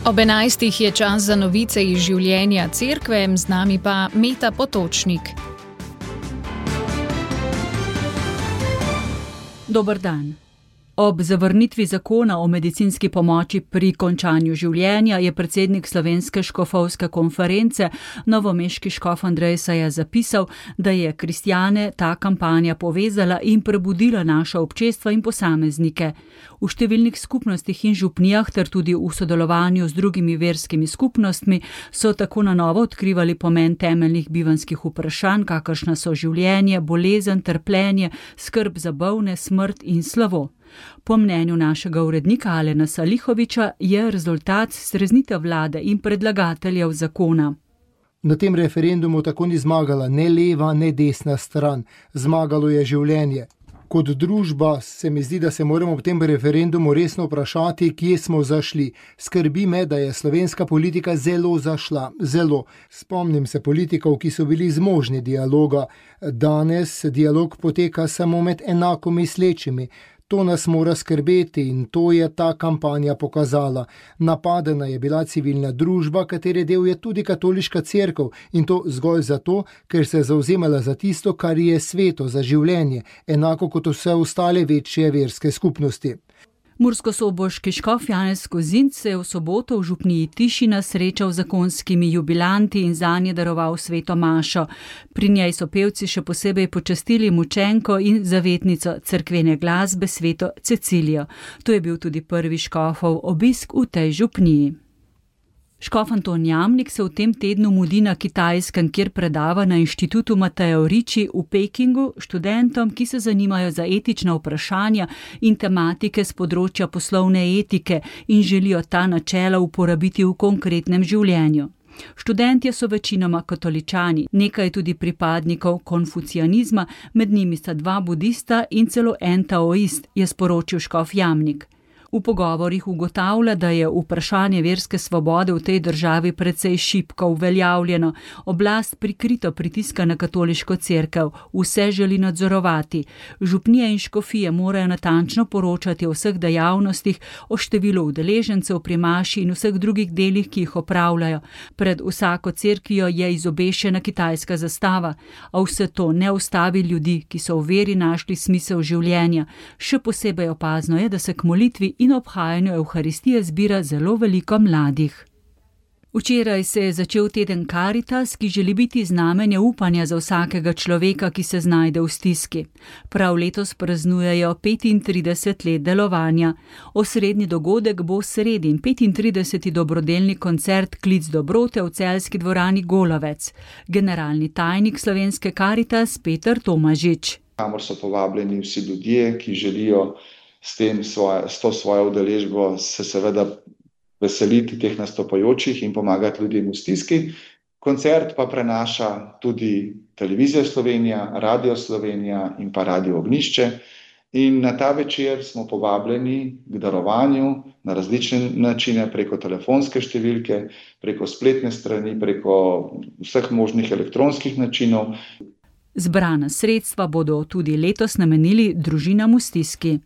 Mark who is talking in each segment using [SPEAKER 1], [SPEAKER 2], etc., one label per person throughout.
[SPEAKER 1] Ob 11. je čas za novice iz življenja cerkve, z nami pa Meta Potočnik.
[SPEAKER 2] Dober dan. Ob zavrnitvi zakona o medicinski pomoči pri končanju življenja je predsednik Slovenske škofovske konference, novomeški škof Andrej Saja, zapisal, da je kristjane ta kampanja povezala in prebudila naša občestva in posameznike. V številnih skupnostih in župnijah ter tudi v sodelovanju z drugimi verskimi skupnostmi so tako na novo odkrivali pomen temeljnih bivanjskih vprašanj, kakršna so življenje, bolezen, trpljenje, skrb za bolne, smrt in slavo. Po mnenju našega urednika Alena Salihoviča je rezultat streznitev vlade in predlagateljev zakona.
[SPEAKER 3] Na tem referendumu tako ni zmagala ne leva, ne desna stran. Zmagalo je življenje. Kot družba se mi zdi, da se moramo v tem referendumu resno vprašati, kje smo zašli. Skrbi me, da je slovenska politika zelo zašla. Zelo. Spomnim se politikov, ki so bili zmožni dialoga. Danes dialog poteka samo med enako mislečimi. To nas mora skrbeti in to je ta kampanja pokazala. Napadena je bila civilna družba, katere del je tudi katoliška cerkev, in to zgolj zato, ker se je zavzemala za tisto, kar je sveto, za življenje, enako kot vse ostale večje verske skupnosti.
[SPEAKER 2] Murskosoboški škof Janez Kozinc se je v soboto v župniji Tišina srečal z zakonskimi jubilanti in zanje daroval sveto mašo. Pri njej so pevci še posebej počastili mučenko in zavetnico cerkvene glasbe sveto Cecilijo. To je bil tudi prvi škofov obisk v tej župniji. Škof Anton Jamnik se v tem tednu mudi na Kitajskem, kjer predava na inštitutu Mateo Ricci v Pekingu študentom, ki se zanimajo za etična vprašanja in tematike z področja poslovne etike in želijo ta načela uporabiti v konkretnem življenju. Študentje so večinoma katoličani, nekaj tudi pripadnikov konfucijanizma, med njimi sta 2 budista in celo en taoist, je sporočil škof Jamnik. V pogovorih ugotavlja, da je vprašanje verske svobode v tej državi precej šibko uveljavljeno. Oblast prikrito pritiska na katoliško cerkev, vse želi nadzorovati. Župnije in škofije morajo natančno poročati o vseh dejavnostih, o številu udeležencev pri maši in vseh drugih delih, ki jih opravljajo. Pred vsako cerkvijo je izobešena kitajska zastava, a vse to ne ustavi ljudi, ki so v veri našli smisel življenja. Še posebej opazno je, da se k molitvi in obhajanju Evharistije zbira zelo veliko mladih. Včeraj se je začel teden Karitas, ki želi biti znamenje upanja za vsakega človeka, ki se znajde v stiski. Prav letos praznujejo 35 let delovanja. Osrednji dogodek bo sredi in 35. dobrodelni koncert Klic dobrote v celjski dvorani Golovec. Generalni tajnik slovenske Karitas Peter Tomažič.
[SPEAKER 4] Kamor so povabljeni vsi ljudje, ki želijo s to svojo udeležbo se seveda veseliti teh nastopajočih in pomagati ljudem v stiski. Koncert pa prenaša tudi Televizija Slovenija, Radio Slovenija in pa Radio Ognjišče. In na ta večer smo povabljeni k darovanju na različne načine, preko telefonske številke, preko spletne strani, preko vseh možnih elektronskih načinov.
[SPEAKER 2] Zbrana sredstva bodo tudi letos namenili družinam v stiski.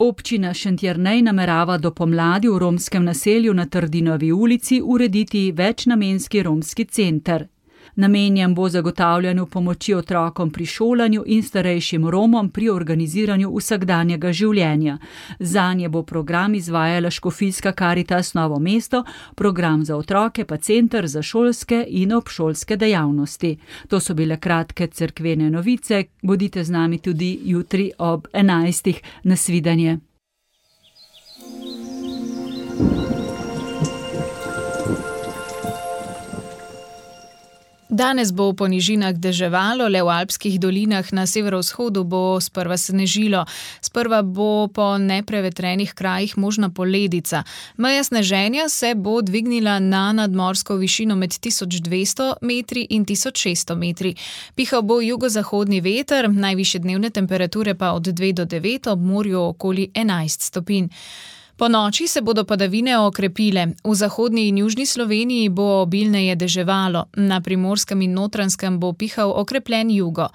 [SPEAKER 2] Občina Šentjernej namerava do pomladi v romskem naselju na Trdinovi ulici urediti večnamenski romski center. Namenjen bo zagotavljanju pomoči otrokom pri šolanju in starejšim Romom pri organiziranju vsakdanjega življenja. Zanje bo program izvajala škofijska Karitas Novo mesto, program za otroke pa center za šolske in obšolske dejavnosti. To so bile kratke cerkvene novice. Bodite z nami tudi jutri ob 11. Nasvidenje.
[SPEAKER 1] Danes bo po nižinah deževalo, le v alpskih dolinah na severovzhodu bo sprva snežilo. Sprva bo po neprevetrenih krajih možna poledica. Meja sneženja se bo dvignila na nadmorsko višino med 1200 metri in 1600 metri. Pihal bo jugozahodni veter, najvišje dnevne temperature pa od 2 do 9, ob morju okoli 11 stopinj. Po noči se bodo padavine okrepile. V zahodni in južni Sloveniji bo obilneje deževalo. Na Primorskem in Notranjskem bo pihal okrepljen jugo.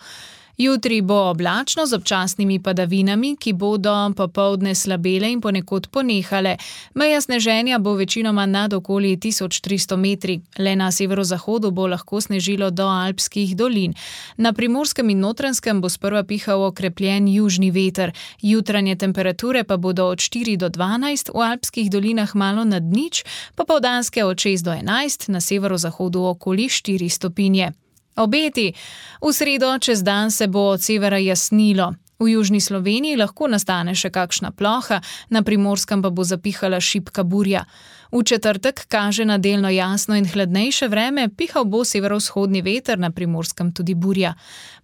[SPEAKER 1] Jutri bo oblačno z občasnimi padavinami, ki bodo popoldne slabele in ponekod ponehale. Meja sneženja bo večinoma nad okoli 1300 metri. Le na severozahodu bo lahko snežilo do alpskih dolin. Na Primorskem in Notranjskem bo sprva pihal okrepljen južni veter. Jutranje temperature pa bodo od 4 do 12, v alpskih dolinah malo nad nič, popoldanske od 6 do 11, na severozahodu okoli 4 stopinje. Obeti. V sredo čez dan se bo od severa jasnilo. V južni Sloveniji lahko nastane še kakšna ploha, na Primorskem pa bo zapihala šibka burja. V četrtek kaže na delno jasno in hladnejše vreme, pihal bo severovzhodni veter, na Primorskem tudi burja.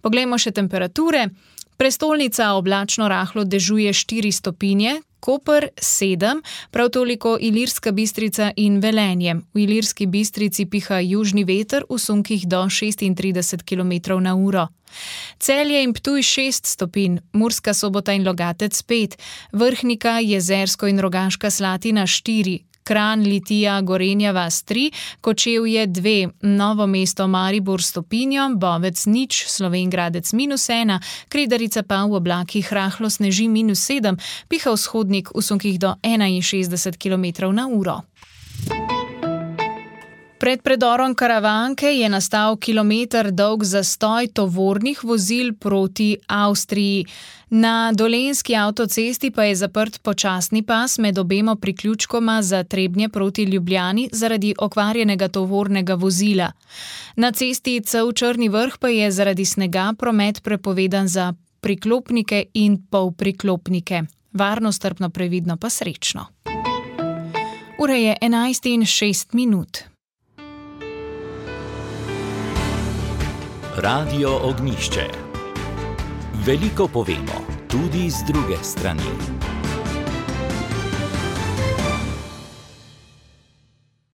[SPEAKER 1] Poglejmo še temperature. Prestolnica oblačno rahlo dežuje 4 stopinje, Koper 7, prav toliko Ilirska Bistrica in Velenje. V Ilirski Bistrici piha južni veter v sunkih do 36 km/h. Celje in Ptuj 6 stopinj, Murska Sobota in Logatec 5, Vrhnika, Jezersko in Rogaška Slatina 4, Kranj, Litija, Gorenja vas 3, Kočevje 2, Novo mesto Maribor stopinjo, Bovec 0, Slovenj Gradec -1, Kredarica pa v oblakih rahlo sneži -7, piha vzhodnik v sunkih do 61 km/h. Pred predorom Karavanke je nastal kilometer dolg zastoj tovornih vozil proti Avstriji. Na Dolenjski avtocesti pa je zaprt počasni pas med obema priključkoma za Trebnje proti Ljubljani zaradi okvarjenega tovornega vozila. Na cesti Cev-Črni Vrh pa je zaradi snega promet prepovedan za priklopnike in polpriklopnike. Varno, strpno, previdno pa srečno. Ura je 11:06.
[SPEAKER 5] Radio Ognjišče. Veliko povemo, tudi z druge strani.